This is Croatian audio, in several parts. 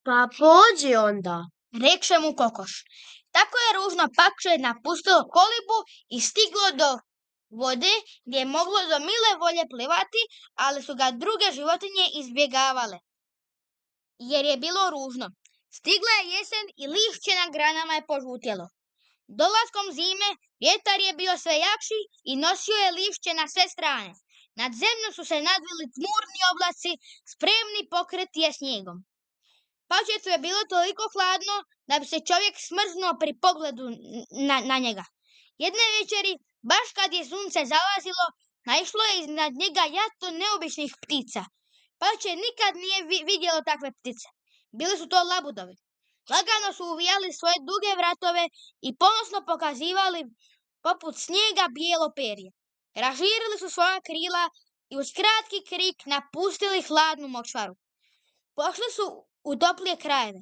Pa pođi onda, rekše mu kokoš. Tako je ružno pakše napustilo kolibu i stiglo do vode gdje je moglo do mile volje plivati, ali su ga druge životinje izbjegavale, jer je bilo ružno. Stigla je jesen i lišće na granama je požutjelo. Dolaskom zime vjetar je bio sve jakši i nosio je lišće na sve strane. Nad zemlju su se nadvili tmurni oblaci, spremni pokriti je snijegom. Pačetu je bilo toliko hladno da bi se čovjek smrznuo pri pogledu na njega. Jedne večeri, baš kad je sunce zalazilo, naišlo je iznad njega jato neobičnih ptica. Pače nikad nije vidjelo takve ptice. Bili su to labudovi. Lagano su uvijali svoje duge vratove i ponosno pokazivali poput snijega bijelo perje. Raširili su svoja krila i uz kratki krik napustili hladnu močvaru. Pošli su u toplije krajeve.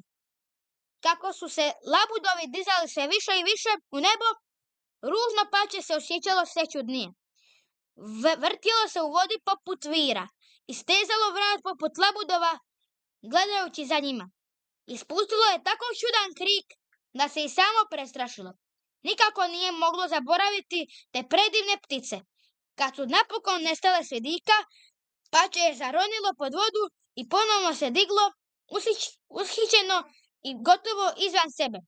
Kako su se labudovi dizali sve više i više u nebo, ružno pače se osjećalo sve čudnije. Vrtjelo se u vodi poput vira i stezalo vrat poput labudova gledajući za njima. Ispustilo je tako čudan krik da se i samo prestrašilo. Nikako nije moglo zaboraviti te predivne ptice. Kad su napokon nestale s vidika, pače je zaronilo pod vodu i ponovno se diglo, ushićeno i gotovo izvan sebe.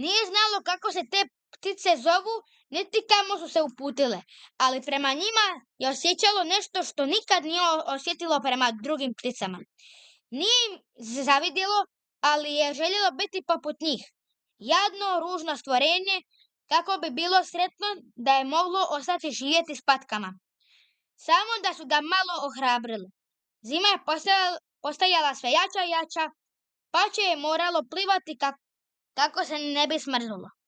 Nije znalo kako se te ptice zovu, niti kamo su se uputile, ali prema njima je osjećalo nešto što nikad nije osjetilo prema drugim pticama. Nije im zavidjelo, ali je željelo biti poput njih. Jadno, ružno stvorenje, kako bi bilo sretno da je moglo ostati živjeti s patkama. Samo da su ga malo ohrabrili. Zima je postajala sve jača i jača, pače je moralo plivati kako se ne bi smrznulo.